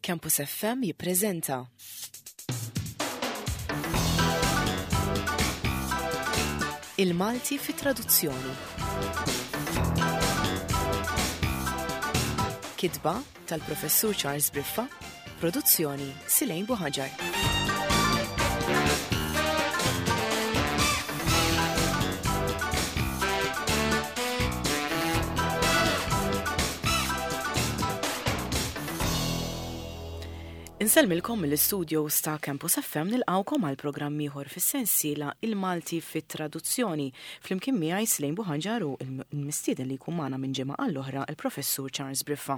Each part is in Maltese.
Campus FM jippreżenta. Il-Malti fi traduzzjoni. Kitba tal-Professur Charles Briffa, produzzjoni Silejn Buħaġar. Insellmilkom mill-istudios ta' Campus FM nilqawkom għal programm ieħor fis-sensiela Il-Malti fit-Traduzzjoni. Flimkien miegħi Slejn Buħanġar u l-mistieden li jkun magħna minn ġimgħa għall-oħra il-Professur Charles Briffa.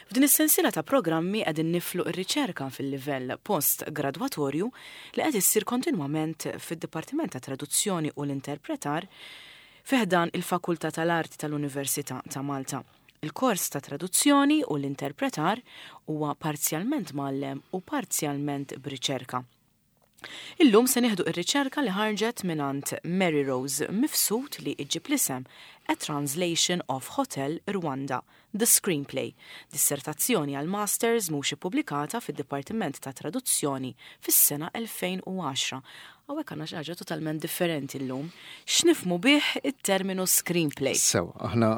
F'din is-sensiela ta' programmi qegħdin niflu r-riċerka fil-livell post-gradwatorju li qed issir kontinwament fid-Dipartiment tat-Traduzzjoni u l-Interpretar fi ħdan il-Fakultà tal-Arti tal-Università ta' Malta. Il-kors ta' Traduzzjoni u l-Interpretar huwa parzjalment mgħallem u parzjalment b'riċerka. Illum se nieħdu r-riċerka li ħarġet mingħand Mary Rose Mifsud li ġġib l-isem A Translation of Hotel Rwanda, The Screenplay, dissertazzjoni għal Masters mhux ippubblikata fid-Dipartiment tat-Traduzzjoni fis-sena 2010. Hawnhekk għandna xi ħaġa totalment differenti llum. X'nifhmu bih it-terminu screenplay? Sewa, aħna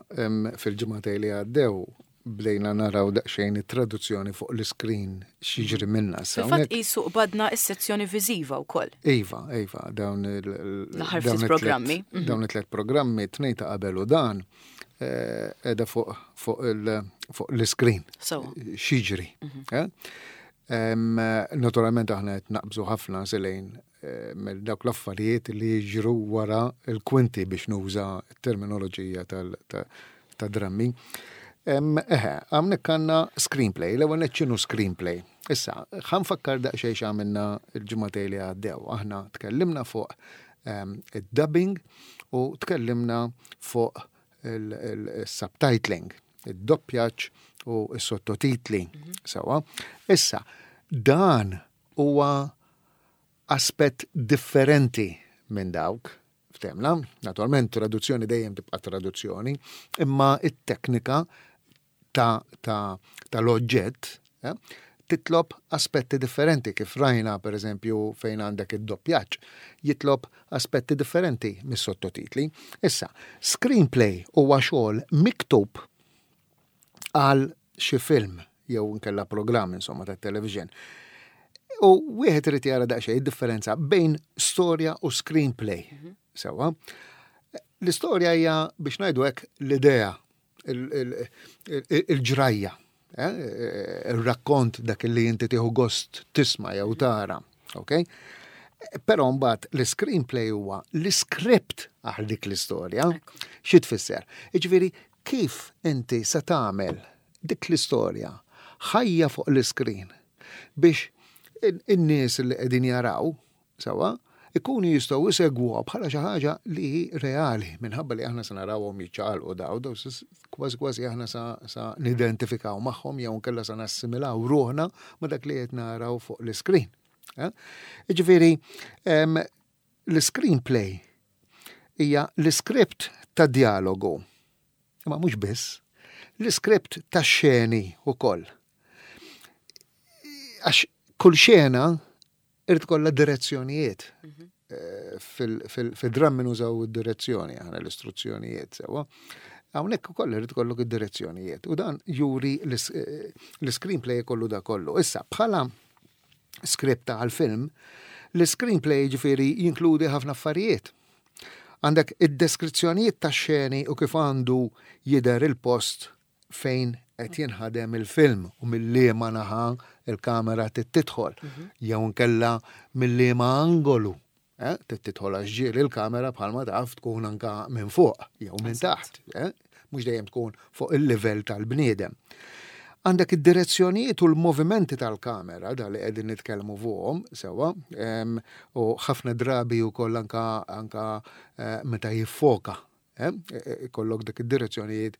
fil-ġimagħtejn li għaddew bdejna naraw daqsxejn it-traduzzjoni fuq l-iskrin x'jiġri minnha. Fil-fatt qisu qbadna s-sezzjoni viżiva wkoll. Iva, iva, dawn il- ftit programmi. Mhm. Dawn it-tlet programmi, tnejn ta' qabel u dan, eh, edha fuq l-iskrin. X'jiġri. Mhm. Eh? Naturalment aħna qed naqbżu ħafna silejn eh, mill dawk l-affarijiet li jiġru wara l-kwinti biex nuża t-terminoloġija tal-drammi. Eħe, hawnhekk għandna screenplay, l-ewwel nett x'inhu screenplay. Issa, ħa nfakkar daqsxejn x'għamilna l-ġimagħtejn li għaddew. Aħna tkellimna fuq id-dubbing u tkellimna fuq il-subtitling, id-doppjaġġ u s-sottotitli. Mhm. Sewa. Issa, dan huwa aspett differenti minn dawk, ftemna, naturalment traduzzjoni dejjem tibqa' traduzzjoni, imma it-teknika ta' ta' tal-oġġett eh, titlob aspetti differenti kif rajna per eżempju fejn għandek id-doppjaġġ, jitlob aspetti differenti mis-sottotitli. Issa, screenplay huwa xogħol miktub għal xi film jew inkella programm insomma tat-television. U wieħed irid jara daqsxejn id-differenza bejn storja u screenplay. Mhm. Sewa. L-istorja hija biex ngħidu hekk l-idea, il-ġrajja, eh, il-rakkont dak li inti tieħu gost tisma' jew tara. Ok? Però mbagħad l-screenplay huwa l-iskript għal dik l-istorja. Xi tfisser? Jiġifieri Kif inti se tagħmel dik l-istorja ħajja fuq l-iskrin biex in-nies li qegħdin jaraw, sewwa, ikunu jistgħu jsegwuha bħala xi ħaġa li hi reali minħabba li aħna se narawhom jiċċaqalqu daw, daw kważi kważi aħna sa, sa nidentifikaw magħhom jew nkella sa nassimilaw ruħna ma' dak li qed naraw fuq l-iskrin. Eh? Jiġifieri, L-iscreenplay hija l-iskript ta' djalogu. Imma mhux biss, l-iskript ta' xeni wkoll. Għax kull xena irid kollha direzzjonijiet. Mhm. Eh, fil-drammi nużaw id-direzzjoni aħna l-istruzzjonijiet sewa. Hawnhekk ukoll irid ikollok id-direzzjonijiet u dan juri eh, l-screenplay kollu da kollu. Issa bħala script għal film, l-screenplay ġifieri jinkludi ħafna affarijiet. Għandek id-deskrizzjonijiet ta' xeni u kif għandu jidher il-post fejn qed jinħadem il-film u mill-liema naħa il-kamera tidħol mhm. jew nkella mill-liema angolu Eh, trid tidħol għax ġieli l-kamera bħalma taf tkun anka minn fuq jew minn taħt, eh? mhux dejjem tkun fuq il-livell tal-bniedem. Għandek id-direzzjonijiet u l-movimenti tal-kamera, da li qegħdin nitkellmu fuqhom sewwa, u ħafna drabi wkoll anka anka eh, meta jiffoka Eh, e, e, ikollok dak id-direzzjonijiet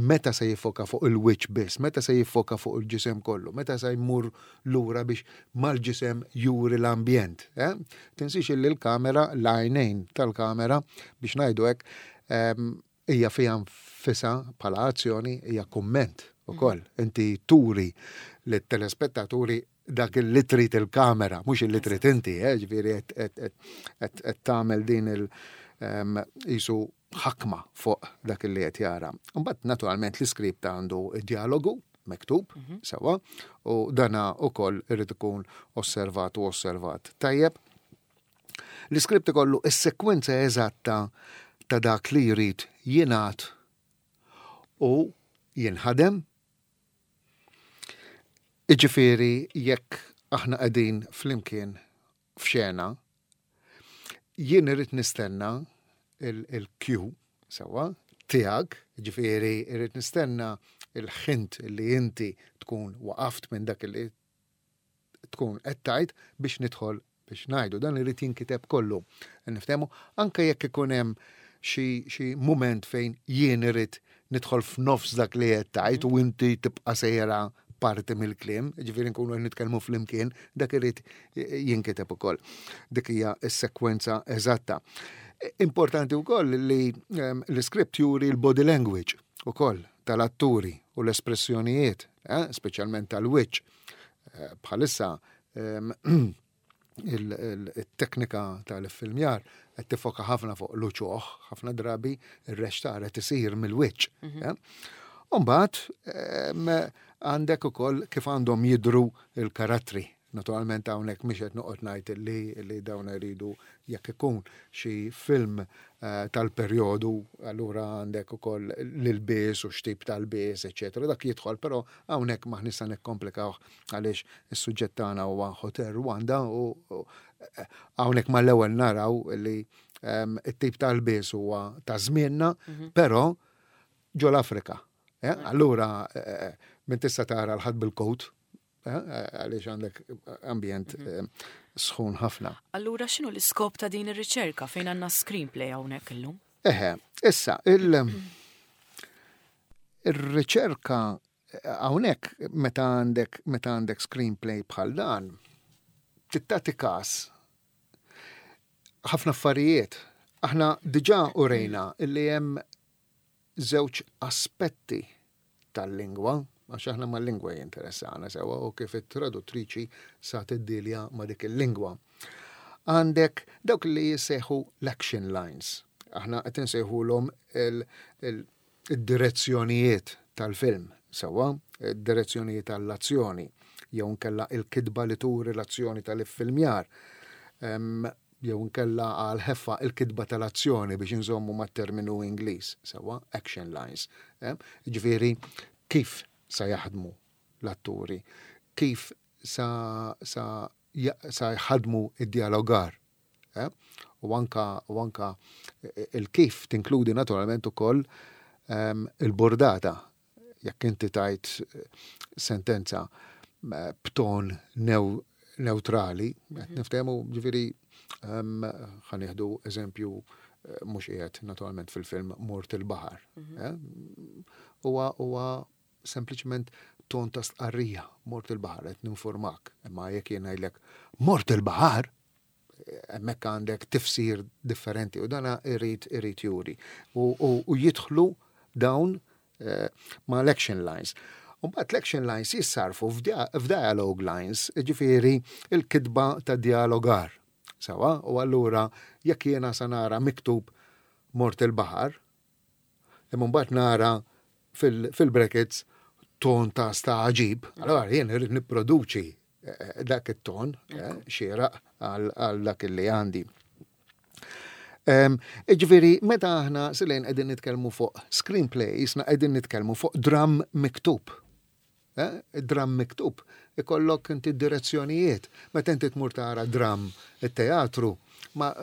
meta se jiffoka fuq il-wiċċ biss, meta se jiffoka fuq il-ġisem kollu, meta se jmur lura biex mal-ġisem juri l-ambjent. Eh? Tinsiex illi l-kamera, l-għajnejn tal-kamera biex ngħidu hekk, ehm, hija fiha nfisha bħala azzjoni hija kumment. ukoll. Inti turi lit-telespettaturi dak li trid il-kamera, mhux li trid inti, eh, ġifieri qed tagħmel din il qisu ħakma fuq dak li qed jara. Imbagħad naturalment l-iskript għandu dialogu miktub, sewwa, u dana ukoll irid ikun osservat u osservat. Tajjeb, l-iskript ikollu is-sekwenza eżatta ta' dak li jrid jingħad u jinħadem. Iġifieri jekk aħna qegħdin flimkien f'xena, jien irrid nistenna il-cue sewwa tiegħek, ġifieri irrid nistenna il-ħint li inti tkun waqaft minn dak li tkun qed tgħid biex nidħol biex ngħidu. Dan irid jinkiteb kollu. Niftehmu anke jekk ikun hemm xi mument fejn jien irid nidħol f'nofs dak li qed tgħid u inti tibqa' sejra parti mill-kliem, ġifieri nkunu qed nitkellmu flimkien, dak irid jinkiteb ukoll. Dik hija s-sekwenza eżatta. Importanti wkoll li l-iskript juri l-body language ukoll tal-atturi u l-espressjonijiet, eh, speċjalment tal-wiċċ. Eh, bħalissa il-teknika tal-filmjar qed tifoka ħafna fuq l-uċuħ, ħafna drabi ir-rextar qed isir mill-wiċċ. Eh. Umbagħad għandek ukoll kif għandhom jidru il-karattri. Naturalment hawnhekk mhix qed noqgħod ngħid li, li dawn iridu jekk ikun xi film eh, tal-perjodu, allura għandek ukoll l-ilbies u x'tip tal-bies, eċetera. Dak jidħol, però hawnhekk m'aħniex sa nikkomplikawh għaliex is-suġġett tagħna huwa Hotel Rwanda u eh, hawnhekk mal-ewwel naraw li ehm, it-tip tal-bies huwa ta' żmienna, però ġol Afrika. Eh, Allura minn tista' tara l-ħadd bil-coat, għaliex għandek ambjent sħun ħafna. Allura x'inhu l-iskop ta' din ir-riċerka fejn għandna screenplay hawnhekk illum? Eħe, issa, il-riċerka hawnhekk meta għandek screenplay bħal dan, tagħti kas ħafna affarijiet. Aħna diġà urejna illi hemm żewġ aspetti tal-lingwa, għax aħna mal-lingwa jinteressana sewa u kif it-traduttriċi sa tiddilja ma' dik il-lingwa. Għandek dawk li jissejħu l-action lines. Aħna qed insejħulhom il-direzzjonijiet tal-film, sewwa, id-direzzjonijiet tal-azzjoni, jew nkella il-kitba li turi l-azzjoni tal-iffilmjar. Jew nkella għal ħeffa il-kitba tal-azzjoni biex inżommu mat-terminu Ingliż, sewwa, action lines. Eh? Ġifieri, kif sa jaħdmu l-atturi, kif sa jħadmu id-dialogar. Eh? U anka il-kif tinkludi naturalment ukoll il-bordata. Jekk inti tajt sentenza b'ton neutrali, qed niftehmu ġifieri ħa nieħdu eżempju mhux qiegħed naturalment fil-film Mort il-Baħar. Eh? Huwa sempliċement ton ta' stqarrija, mort il-baħar, qed ninformak. Imma jekk jien ngħidlek mort il-baħar, hemmhekk għandek tifsir differenti u dana irid juri. U jidħlu dawn ma' l-action lines. Mbagħad l-action lines jissarfu f'dialogue lines, ġifieri il-kitba ta' dialogar. Sewwa, u allura jekk jiena sa nara miktub mort il-baħar, imma mbagħad nara fil-brackets ton ta' stagħġib, allora jien irrid nipproduċi dak it-ton xieraq għal dak li għandi. Ġifieri, meta aħna silejn qegħdin nitkellmu fuq screenplay, jisna qegħdin nitkellmu fuq dram miktub. Dram miktub. Ikollok inti direzzjonijiet. Meta inti tmur tara dram it-teatru, ma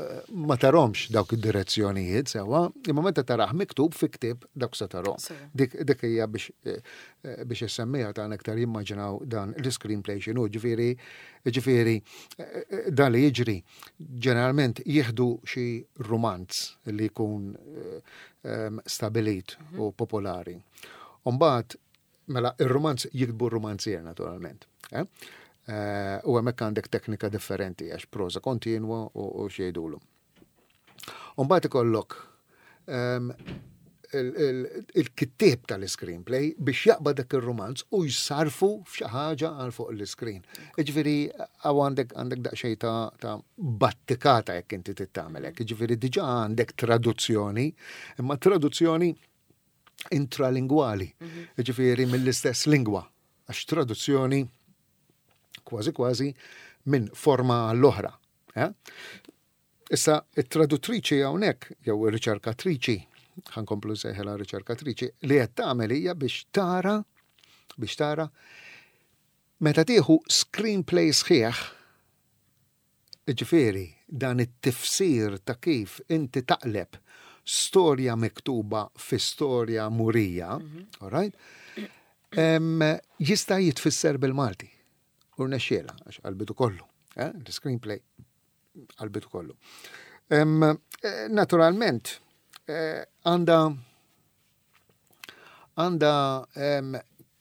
tarahomx dawk id-direzzjonijiet sewwa, imma meta tarah miktub fi ktieb dawk se tarahom. Dik hija biex issemmija ta' iktar jimmaġinaw dan l-screenplay x'inhu, ġifieri dan li jiġri ġeneralment jieħdu xi romanz li jkun stabilit u popolari. Umbagħad mela ir-romanz jiktbu r-romanzier naturalment. Eh? U hemmhekk għandek teknika differenti għax prosa kontinwa u xejdulu. Umbagħad ikollok il-kittieb tal-screenplay biex jaqbad dak ir-rumanz u jsarfu f'xi ħaġa għal fuq l-screen. Jiġifieri hawn għandek għandek daqsxejn ta', ta battikata jekk inti tittamel hekk. Jiġifieri diġà għandek traduzzjoni, imma traduzzjoni intralingwali, jiġifieri mill-istess lingwa, għax traduzzjoni kważi kważi minn forma għall-oħra. Eh? Issa, it-traduttriċi hawnhekk, jew ir-riċerkatriċi, ħankomplu nsejħilha riċerkatriċi, li qed tagħmel hija biex tara biex tara meta tieħu screenplay sħiħ, ġifieri dan it-tifsir ta' kif inti taqleb storja miktuba fi storja murija, all right? Jista' jitfisser bil-Malti. U rnexxielha, għax qalbitu kollu, eh? L-screenplay qalbitu kollu. Eh, naturalment, eh, għanda għanda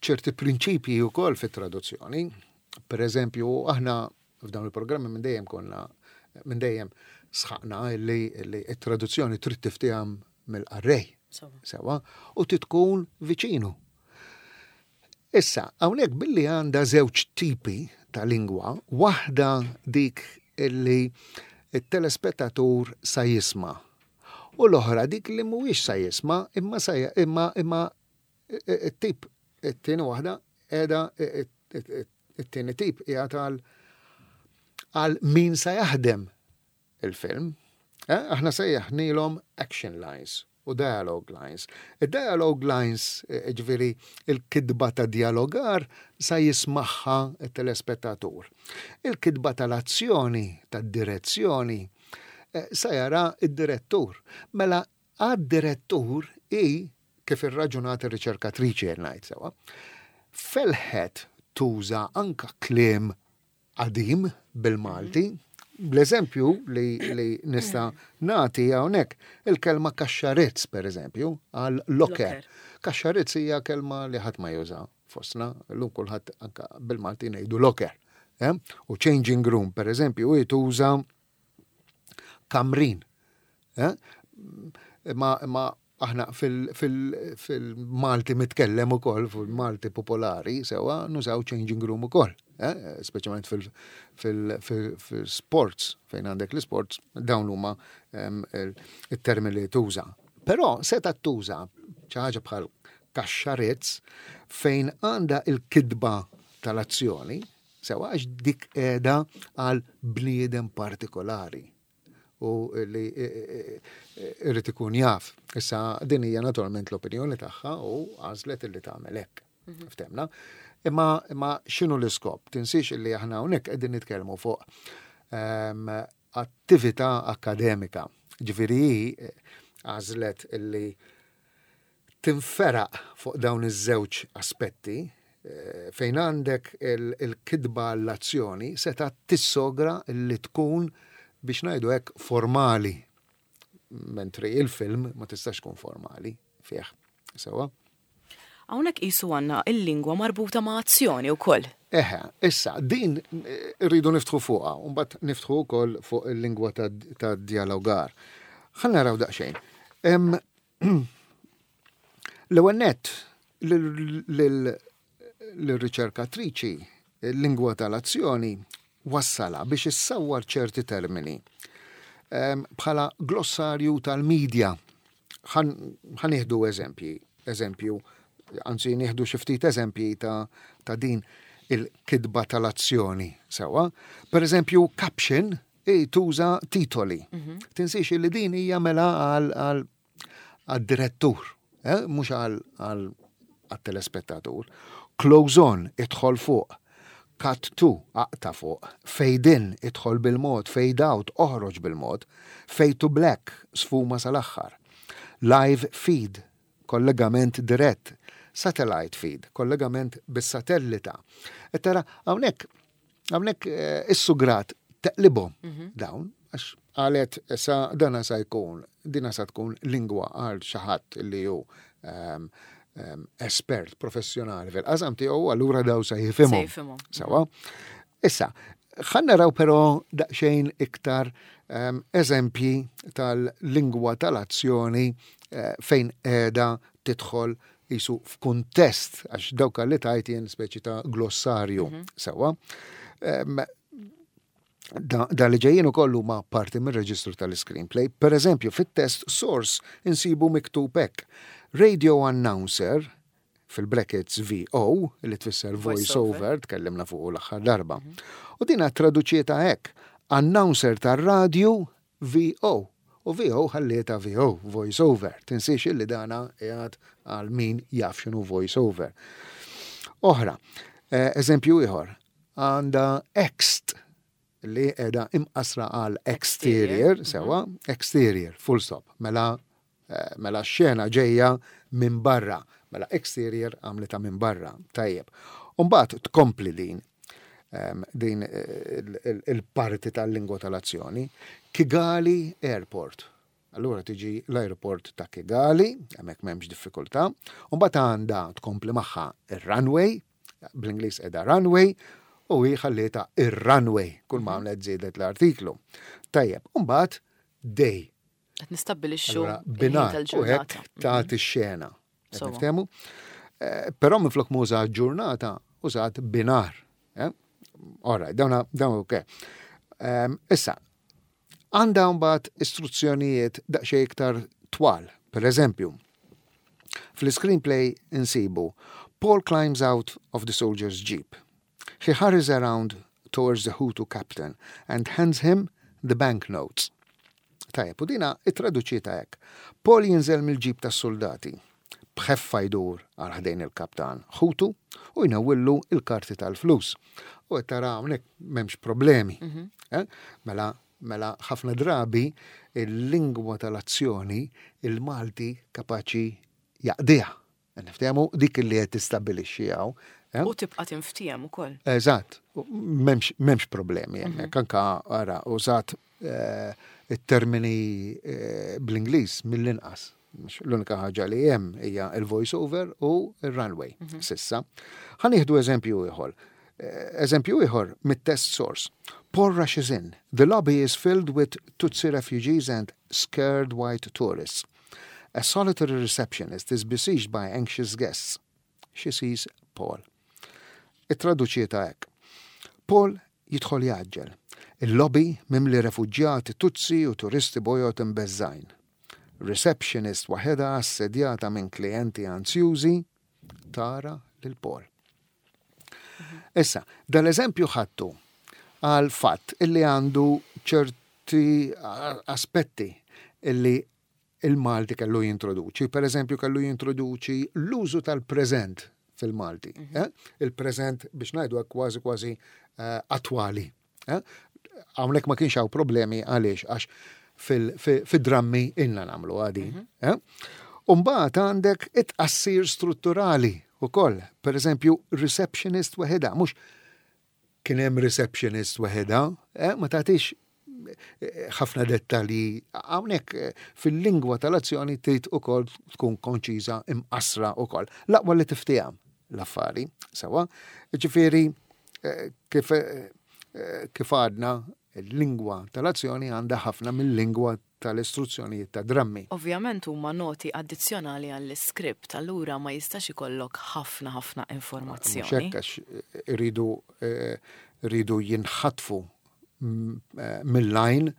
ċerti prinċipji wkoll fit-traduzzjoni. Per eżempju, aħna f'dawn il-programmi minn dejjem konna minn dejjem sħaqna li t-traduzzjoni trid tifteham mill-qarrej. Sewa, u titkun viċinu. Issa, hawnhekk billi għandha żewġ tipi ta' lingwa, waħda dik illi t-telespettatur sa jisma' u l-oħra dik li mhuwiex sa jisma' imma sa imma imma t-tip it-tieni waħda qiegħda it-tieni tip qiegħed għal għal min sa jaħdem il-film. Eh, aħna sejjaħnilhom action lines u dialogue lines. Id-dialogue lines, eh, ġviri il-kidba ta' dialogar, sa jismaħħa il-telespettatur. Il-kidba tal-azzjoni, tad-direzzjoni, eh, sa jara id-direttur. Mela għad-direttur i kif irraġunat ir-riċerkatriċi ngħid sewa, felħet tuża anka kliem qadim bil-Malti. L-eżempju li, li nista' nagħti hawnhekk il-kelma kaxxarizz pereżempju għal locker. Kaxxarizz hija kelma li ħadd ma juża fostna, llum kulħadd anka bil-Malti ngħidu locker. Eh? U changing room pereżempju hi tuża kamrin. Eh? Ma, ma aħna fil-Malti mitkellem ukoll, fil-Malti popolari, sewa nużaw changing room ukoll. Eh? Speċjalment fil-sports, fejn għandek l-sports, dawn huma il-termini li tuża. Però seta tuża xi ħaġa bħal kaxxarizz fejn għandha il-kidba tal-azzjoni, sewa għax dik qiegħda għal bniedem partikolari u li irrid ikun jaf. Issa din hija naturalment l-opinjoni tagħha u għażlet illi tagħmel hekk. Mhm. Ftemna. Imma imma x'inhu l-iskop? Tinsiex illi aħna hawnhekk qegħdin nitkellmu fuq ehm, attività akademika. Ġifieri eh, għażlet illi tinferaq fuq dawn iż-żewġ aspetti, eh, fejn għandek il-kitba l-azzjoni seta' tissogra li tkun biex ngħidu hekk formali. Mentri il-film ma tistax tkun formali fih. Sewa? Hawnhekk qisu għandna il-lingwa marbuta ma' azzjoni wkoll. Eħe, issa, din eh, rridu niftħu fuqha, u mbagħad niftħu wkoll fuq il-lingwa ta' dialogar. Ħa naraw daqsxejn. L-ewwel nett lir-riċerkatriċi l-lingwa tal-azzjoni wassalha biex issawwar ċerti termini ehm, bħala glossarju tal-medja. Ħa nieħdu eżempji, eżempju, anzi nieħdu xi ftit eżempji ta', ta din il-kidba tal-azzjoni sewa. Per eżempju, caption i tuża titoli. Mhm. Tinsiex li din hija mela għal direttur, eh, mhux għal telespettatur. Close on, idħol fuq. Cut to, aqta fuq. Fade in, idħol bil-mod. Fade out, oħroġ bil-mod. Fade to black, sfuma sal-aħħar. Live feed, kollegament dirett. Satellite feed, kollegament bis-satellita. E tara, hawnhekk hawnhekk eh, is-sugrat teqlibhom mhm. dawn, għax qalet sa dana sa jkun, dina sa tkun lingwa għal xi ħadd li hu ehm, ehm, espert professjonali fil-qasam tiegħu allura daw sa jifhimhom. Sawa. Issa, Ħa naraw però daqsxejn iktar eżempji tal-lingwa tal-azzjoni fejn qiegħda tidħol qisu f'kuntest għax dawk li tajt jien speċi ta' glossarju sewwa. Da li ġejjin ukoll huma parti mir-reġistru tal-screenplay. Per eżempju, fit-test source insibu miktub hekk. Radio announcer fil-brackets VO, li tfisser voice over, tkellimna fuq l-aħħar darba. U dina traduċieta hekk, announcer tar-radju VO. U VO ħallieta VO, voice over. Tinsiex illi dana qiegħed għal min jaf x'inhu voice over. Oħra, eżempju ieħor, għandha ext li qiegħda imqasra għal exterior, sewa, exterior, full stop. Mela mela x-xena ġejja minn barra. Mela exterior għamlita minn barra. Tajjeb. Umbagħad tkompli din din il-parti tal-lingwa tal-azzjoni. Kigali Airport. Allura tiġi l-aeroport ta' Kigali, hemmhekk m'hemmx diffikultà. Umbagħad għandha tkompli magħha ir-runway, bl-Ingliż qiegħda runway, u hi ħallietha ir-runway, kull ma għamlet żiedet l-artiklu. Tajjeb, umbagħad day. Qed nistabbilixxu binhar u hekk tagħti x-xena. Niftehmu? Però minflok ma użat ġurnata, użat binhar. All right, dawn dawn ok. Issa, għandha mbagħad istruzzjonijiet daqsxejn iktar twal. Per eżempju, fl-screenplay insibu Paul climbs out of the soldier's jeep. He hurries around towards the Hutu captain and hands him the banknotes. Tajjeb, u dina ittraduċieta hekk. Paul jinżel mill-ġip tas-soldati. B'ħeffa jdur għal ħdejn il-kaptan Hutu u jnewwillu il-karti tal-flus. U qed tara hawnhekk m'hemmx problemi. Mela, mela ħafna drabi il-lingwa tal-azzjoni il-Malti kapaċi jaqdiha. Niftehmu dik li qed tistabbilixxi hawn. U tibqa' tinftiehem ukoll. Eżatt, m'hemmx problemi hemmhekk. Anka ara użat it-termini bl-Ingliż mill-inqas. L-unika ħaġa li hemm hija il-voice over u il-runway sissa. Ħa nieħdu eżempju ieħor. Eżempju ieħor mit-test source. Paul rushes in. The lobby is filled with Tutsi refugees and scared white tourists. A solitary receptionist is besieged by anxious guests. She sees Paul. Ittraduċieta hekk. Paul jidħol jgħaġġel. Il-lobby mimli refuġjati Tutsi u turisti bojod imbeżżgħin. Receptionist waħedha assedjata minn klijenti anzjużi tara lil Paul. Issa, dal-eżempju ħadtu għal fatt illi għandu ċerti aspetti illi il-Malti kellu jintroduċi. Per eżempju, kellu jintroduċi l-użu tal-preżent fil-Malti. Il-preżent biex ngħidu kważi kważi attwali. Hawnhekk ma kienx hawn problemi għaliex għax fil-drammi inna nagħmlu għadi. Umbagħad għandek it-tqassir strutturali ukoll. Per eżempju, receptionist weħida, mhux kien hemm receptionist weħida, ma tagħtix ħafna dettalji. Hawnhekk fil-lingwa tal-azzjoni trid ukoll tkun konċiża imqasra ukoll. L-aqwa li tiftiehem l-affari, sewa. Ġifieri kif għadna il-lingwa tal-azzjoni għandha ħafna mill-lingwa tal-istruzzjonijiet ta' drammi. Ovvjament huma noti addizzjonali għall-iskript, allura ma jistax ikollok ħafna ħafna informazzjoni. Mhux hekk għax iridu jinħatfu mill-line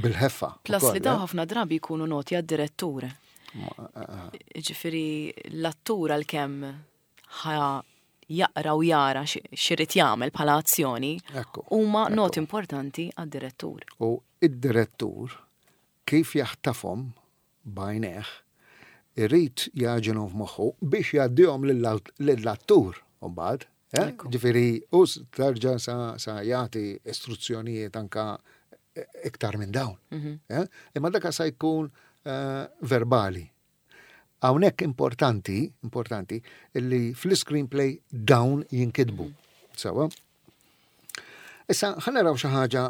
bil-ħeffa. Plus li daw ħafna drabi jkunu noti għad-direttur. Ġifieri l-attur għalkemm ħa jaqra u jara x'irid jagħmel bħala azzjoni, huma noti importanti għad-direttur. U id-direttur kif jaħtafhom b'għajnejh irid jagħġinhom f'moħħu biex jgħaddihom lill-attur mbagħad. Ġifieri u terġa' sa jagħti istruzzjonijiet anka iktar minn dawn. Imma dak sa jkun verbali. Hawnhekk importanti, importanti, illi fl-screenplay dawn jinkitbu. Sewa. Issa ħa naraw xi ħaġa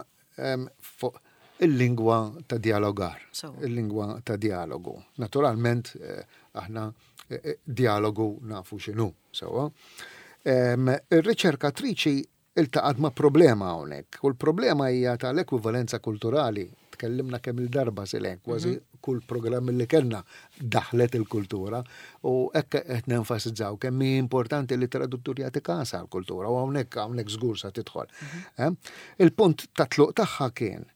fuq il-lingwa ta' dialogar, il-lingwa ta' dialogu. Naturalment, aħna dialogu nafu x'inhu, sewa. Ir-riċerkatriċi iltaqgħet ma' problema hawnhekk u l-problema hija tal-ekwivalenza kulturali. Tkellimna kemm il-darba silek, kważi kull programm li kellna daħlet il-kultura u hekk qed nenfasizzaw kemm hi importanti li traduttur jagħti każ għall-kultura u hawnhekk hawnhekk żgur sa tidħol. Eh? Il-punt ta' tluq tagħha kien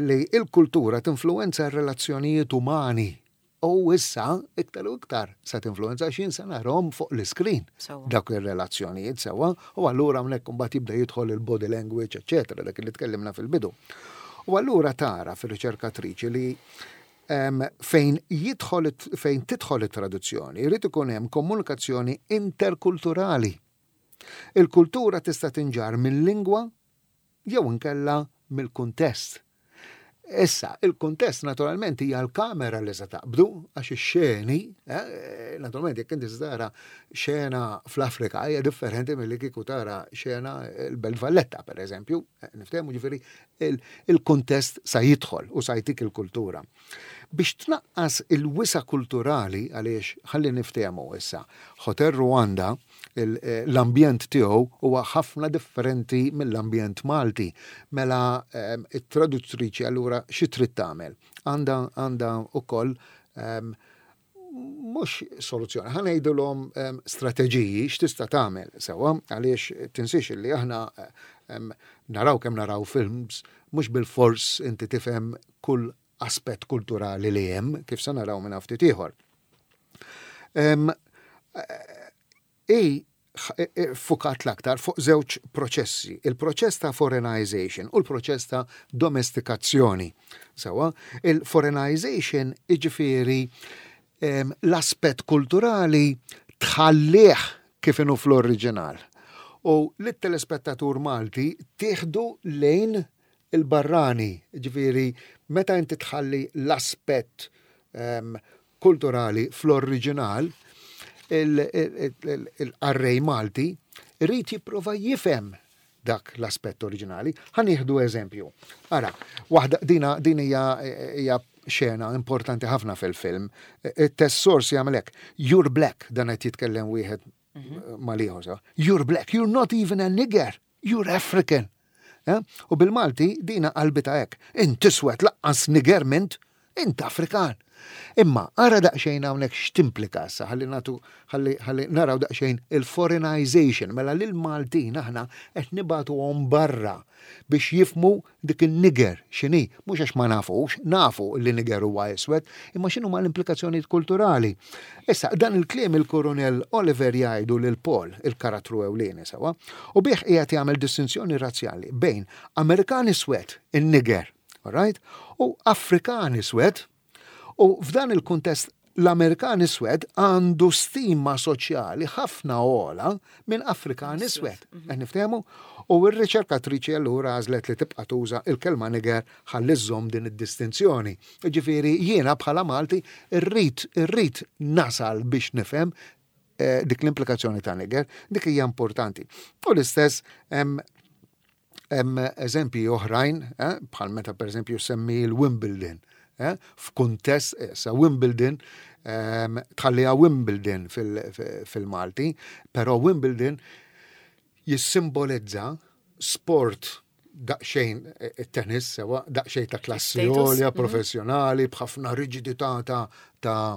li il-kultura tinfluwenza r-relazzjonijiet umani u issa iktar u iktar sa tinfluwenza għax jien sa narahom fuq l-iskrin dawk ir-relazzjonijiet sewwa u allura hawnhekk imbagħad jibda jidħol il-body language, eċetera, dak li tkellimna fil-bidu. U allura tara fir-riċerkatriċi li fejn jidħol fejn tidħol it-traduzzjoni jrid ikun hemm komunikazzjoni interkulturali. Il-kultura tista' tinġarr minn lingwa jew inkella mill-kuntest. Issa, il-kuntest naturalment hija l-kamera li se taqbdu, għax ix-xeni, eh, naturalment jekk inti tara xena fl-Afrika hija differenti milli kieku tara xena l-Belt Valletta, per eżempju, eh, niftehmu ġifieri il-kuntest sa jidħol u sa jtik il-kultura. Biex tnaqqas il-wisa kulturali għaliex ħalli niftehmu issa, Hotel Rwanda l-ambjent tiegħu huwa ħafna differenti mill-ambjent Malti. Mela it-traduttriċi allura xi trid tagħmel? Għandha għandha wkoll mhux soluzzjoni, ħa ngħidulhom strateġiji x'tista' tagħmel sewwa għaliex tinsiex li aħna naraw kemm naraw films mhux bil-fors inti tifhem kull aspett kulturali li hemm kif se naraw minn ftit ieħor. I fukat l-aktar fuq żewġ proċessi, il-proċess ta' foreignization u l-proċess ta' domestikazzjoni. Sewwa, il-foreignization iġifieri l-aspett kulturali tħallih kif inhu fl-oriġinal. U lit-telespettatur Malti tieħdu lejn il-barrani, ġifieri meta inti tħalli l-aspett kulturali fl-oriġinal, il-qarrej Malti irid jipprova jifhem dak l-aspett oriġinali. Ħa nieħdu eżempju. Ara, waħda dina din hija hija xena importanti ħafna fil-film. Il-text source jagħmel hekk. "You're black", dan qed jitkellem wieħed mal-ieħor. "You're black, you're not even a nigger, you're African." Eh? U bil-Malti dina qalbita hekk. "Int iswed, lanqas nigger m'int, int Afrikan." Imma ara daqsxejn hawnhekk x'timplika issa ħalli nagħtu ħalli naraw daqsxejn il-foreignization mela lil Maltin aħna qed nibagħtuhom barra biex jifhmu dik il-nigger x'inhi, mhux għax ma nafux, nafu li nigger huwa iswed, imma x'inhu ma l-implikazzjonijiet kulturali. Issa, dan il-kliem il-Koronel Oliver jgħidu lil Paul, il-karattru ewlieni sewwa, u bih qiegħed jagħmel distinzjoni razzjali bejn Amerikan iswed, in-nigger, alright, u Afrikan iswed, u f'dan il-kuntest l-Amerikan iswed għandu stima soċjali ħafna ogħla minn Afrikan iswed. Qed niftehmu? U r-riċerkatriċi allura għażlet li tibqa' tuża il-kelma nigger ħalli żżomm din id-distinzjoni. Ġifieri jiena bħala Malti rrid irrid nasal biex nifhem dik l-implikazzjoni ta' nigger, dik hija importanti. U l-istess hemm eżempji oħrajn, bħal meta pereżempju semmi l-Wimbledon, f'kuntest, sa Wimbledon, tħalliha Wimbledon fil-Malti, però Wimbledon jissimbolizza sport daqsxejn it-tennis sewwa, daqsxejn ta' klassi għolja, professjonali, b'ħafna riġidità ta'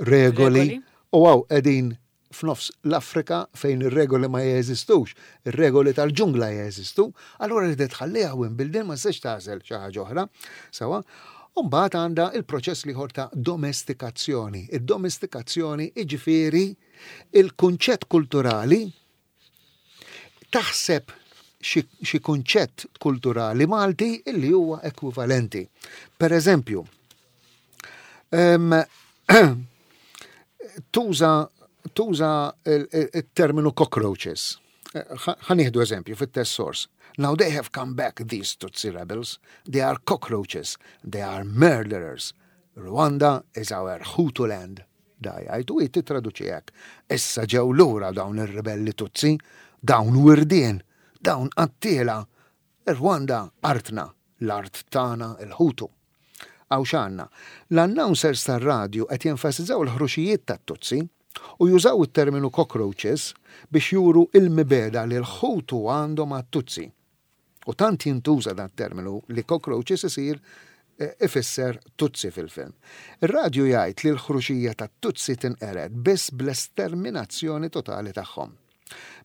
regoli. U hawn qegħdin f'nofs l-Afrika fejn ir-regoli ma jeżistux, ir-regoli tal-ġungla jeżistu, allura li tħalliha Wimbledon ma tistax tagħżel xi ħaġa oħra. Sewwa, u mbagħad għandha il-proċess l-ieħor ta' domestikazzjoni. Id-domestikazzjoni iġifieri il-kunċett kulturali taħseb xi kunċett kulturali Malti illi huwa ekwivalenti. Per eżempju, tuża il-terminu cockroaches. Ħa nieħdu eżempju fit-text source. "Now they have come back, these Tutsi rebels. They are cockroaches. They are murderers. Rwanda is our Hutu land." Da jgħid u titraduċi hekk. "Issa ġew lura dawn ir-ribelli Tutsi, dawn wirdien, dawn qattiela. Rwanda artna, l-art tagħna il-Hutu." Hawn x'għandna. L-announcers tar-radju qed jenfasizzaw il-ħruxijiet tat-Tutsi. U jużaw it-terminu cockroaches biex juru il-mibegħda li l-Ħutu għandhom għat-Tutsi. U tant jintuża dan terminu li cockroaches isir eh, ifisser Tutsi fil-film. Ir-radju jgħid li l-ħruxija tat-Tutsi tinqered biss bl-esterminazzjoni totali tagħhom.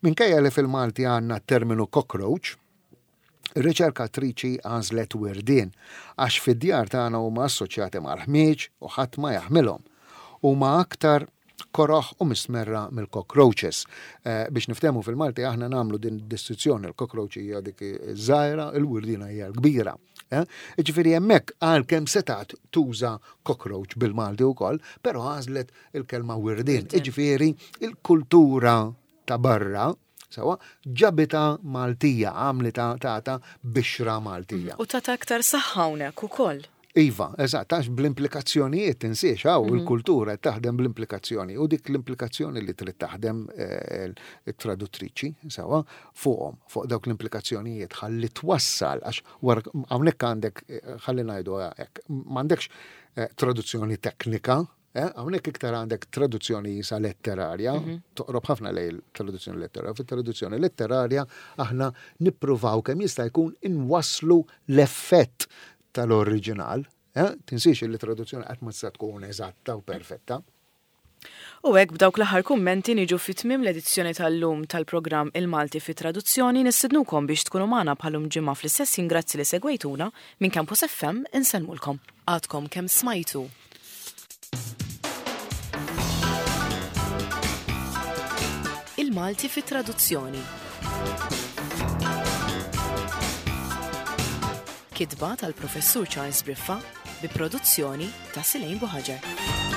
Minkejja li fil-Malti għandna terminu cockroach, ir-riċerkatriċi għażlet wirdien għax fid-djar tagħna huma assoċjati mal-ħmieġ u ħadd ma jaħmilhom. Huma aktar koroħ u mistmerra mill-cockroaches. Eh, biex niftehmu fil-Malti aħna nagħmlu din distinzjoni l-cockroach hija dik iż-żgħira, il-wirdina hija l-kbira. Eh? Ġifieri hemmhekk għalkemm setat tuża cockroach bil-Malti wkoll, però għażlet il-kelma wirdien. Ġifieri il-kultura ta' barra Sewa, ġabita Maltija, għamlita tata bixra Maltija. U tata aktar saħħa hawnhekk ukoll. Iva, eżatt, għax bl-implikazzjonijiet tinsiex, hawn mhm. il-kultura taħdem bl-implikazzjoni u dik l-implikazzjoni li trid taħdem eh, il-traduttriċi, sewa, fuqhom, fuq dawk l-implikazzjonijiet ħalli twassal, għax hawnhekk għandek, eh, ħalli ngħidu hekk, m'għandekx eh, traduzzjoni teknika, Eh, hawnhekk iktar għandek traduzzjoni jisa letterarja, mhm. toqrob ħafna lej traduzzjoni letterarja. Fit-traduzzjoni letterarja aħna nippruvaw kemm jista' jkun inwasslu l-effett tal-oriġinal. Eh? Tinsiex li traduzzjoni qatt ma tista' tkun eżatta u perfetta. U hekk b'dawk l-aħħar kummenti niġu fi tmiem l-edizzjoni tal-lum tal-programm Il-Malti fi Traduzzjoni nistidnukom biex tkunu magħna bħalum ġimgħa fl-istess ħin grazzi li segwejtuna minn Campus FM insellmulkom. Għadkom kemm smajtu Il-Malti fi Traduzzjoni. Kitba tal-Professur Charles Briffa bi produzzjoni ta' Silejn Buħaġar.